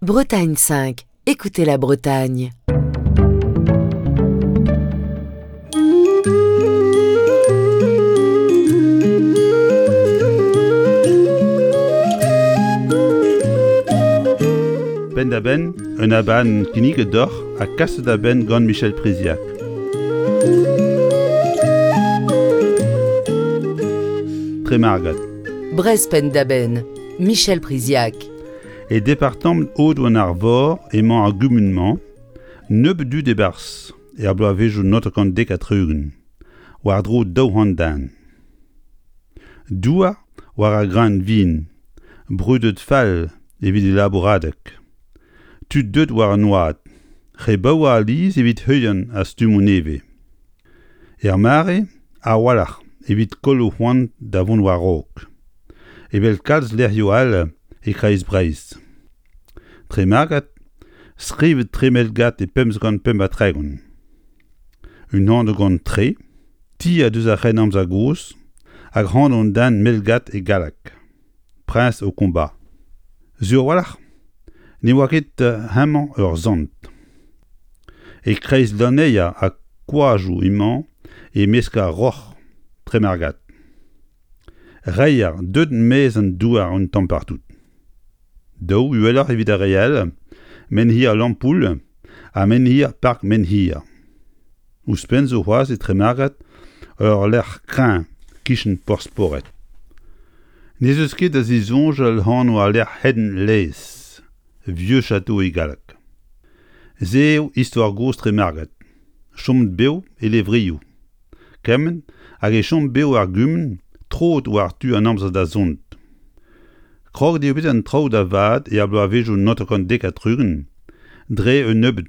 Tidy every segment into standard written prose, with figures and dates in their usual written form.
Bretagne 5, écoutez la Bretagne. Penn-da-benn, un abadenn kinniget deoc'h ha kaset da benn gant Michel Priziac. Tremargad. Brest penn-da-benn, Michel Priziac. E departamant Aodoù-an-Arvor emañ ar gumun-mañ, nebeut dud e-barzh er bloavezhioù 1970, war-dro 200 den. Douar war ar greun vin, brudet fall evit e labouradeg. Tud deuet war an oad, re baour alies evit heuliañ ar stummoù nevez. Er mare, a-walc'h evit koll o c'hoant da vont war-raok, evel kalz lec'hioù all e kreiz Breizh. Tremargad, skrivet Tremelgad e 1535. Un anv gant tre, ti a deus ar C'hrennamzer gozh, hag anv an den Melgad e galleg, Prince au combat. Sur a-walc'h ne oa ket hemañ ur sant. E-kreiz lanneier ha koajoù emañ e-mesk ar roc'h Tremargad. Reier deuet 'maez an douar un tamm partout. Daou uheloc'h evit ar re all, Menhir Lampoul ha Menhir Park Menhir. Ouzhpenn zo c'hoazh e Tremargad ur lec'h kreñv 'kichen Porzh-Pored. N'ez eus ket da zisoñjal anv al lec'h Hen Lez, Vieux Château e galleg. Se eo istor gozh Tremargad, chomet bev e levrioù. Kement hag e chom bev ar gumun troet war tu an amzer da zont. Kroget eo bet an traoù da vat er bloavezhioù 1970 dre un nebeud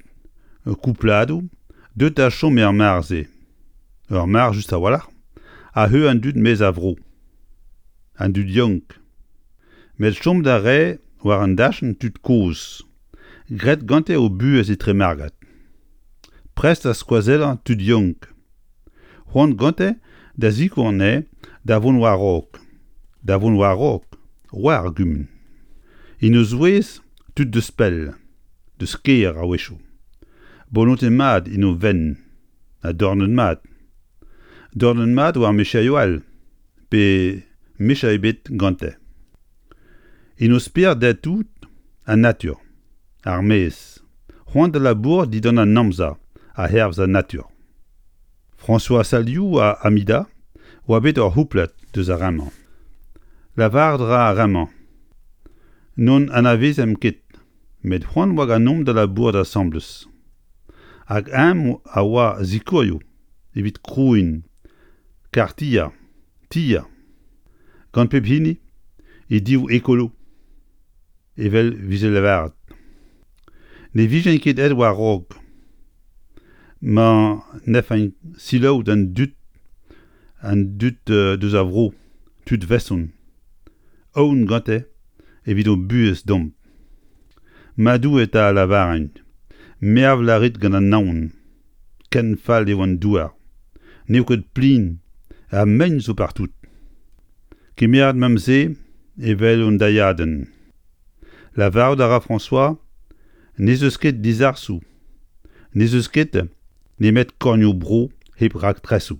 koupladoù deuet da chom er mare-se. Ur mare just a-walc'h a heu an dud maez a vro. An dud yaouank. Met chom da rae war an dachenn tud kozh. Graet gante o buhez e Tremargad. Prest da skoazellañ tud yaouank. C'hoant gante da sikour anezhe da vont war-raok. Da vont war-raok war ar gumun. En o zouez tud deus pell, deus kêr a-wechoù. Bolonte mat en o fenn ha dornet mat. Dornet mat war micherioù all pe micher ebet gante. En o spered dezhe-tout an natur, ar maez, c'hoant da labourat dindan an amzer ha hervez an natur. François Saliou ha Amida oa bet ur c'houplad deus ar re-mañ. Lavaret 'ra ar re-mañ N'hon anavezemp ket, met c'hoant oa ganeomp da labourat asambles. Hag eñ a oa sikourioù evit krouiñ kartier, tier. Gant pep hini e div ekolo, evel 'vije lavaret. Ne vijen ket aet war-raok ma 'nefen selaou d'an dud an dud deus ar vro, tud veson, aon gante evit o buhez deomp. Ma Doue 'ta a lavarint, mervel a rit gant an naon. Ken fall eo an douar. N'eo ket plin ha mein zo partout. Kemeret 'meump se evel un dailhadenn. Lavarout a ra François n'ez eus ket dizarsoù, n'ez eus ket nemet kornioù-bro hep raktresoù.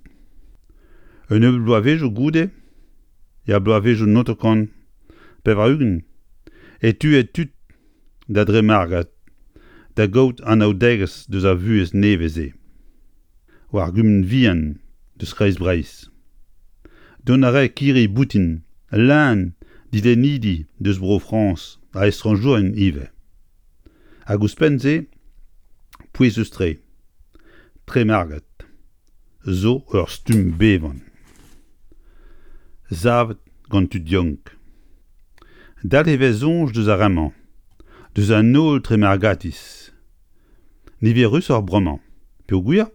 Un nebeud bloavezhioù goude, er bloavezhioù 1980, e teue tud da Dremargad da gaout anaoudegezh deus ar vuhez nevez-se war gumun vihan deus Kreiz-Breizh. Dont a rae kirri-boutin leun dilennidi deus Bro-Frañs ha estrañjourien ivez. Hag ouzhpenn-se, pouezus-tre, Tremargad zo ur stumm bevan savet gant tud yaouank. Dalc'h e vez soñj deus ar re-mañ, deus an holl Tremargatiz. Niverusoc'h bremañ, peogwir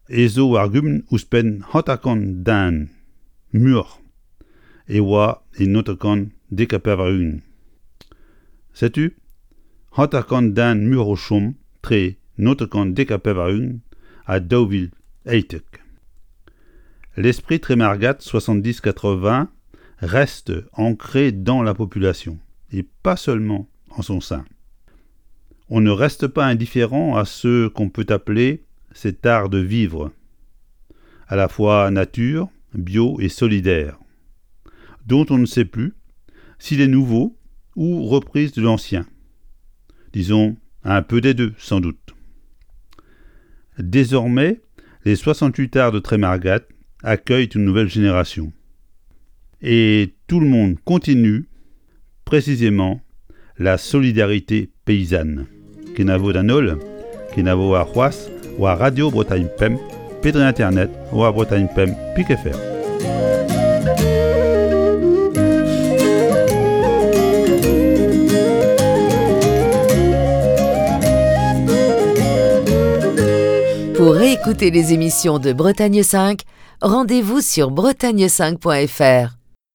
ez zo war gumun ouzhpenn 50 den muioc'h e oa e 1990. Setu 50 den muioc'h o chom tre 1990 ha 2018. L'esprit Trémargat 70-80 reste ancré dans la population et pas seulement en son sein. On ne reste pas indifférent à ce qu'on peut appeler cet art de vivre, à la fois nature, bio et solidaire, dont on ne sait plus s'il est nouveau ou reprise de l'ancien. Disons un peu des deux, sans doute. Désormais, les 68 arts de Trémargat accueillent une nouvelle génération. Et tout le monde continue, précisément, la solidarité paysanne. Kenavo d'an holl, kenavo arc'hoazh war Radio Bretagne Pemp pe dre internet war Bretagne Pemp pik fr. Pour réécouter les émissions de Bretagne 5, rendez-vous sur bretagne5.fr.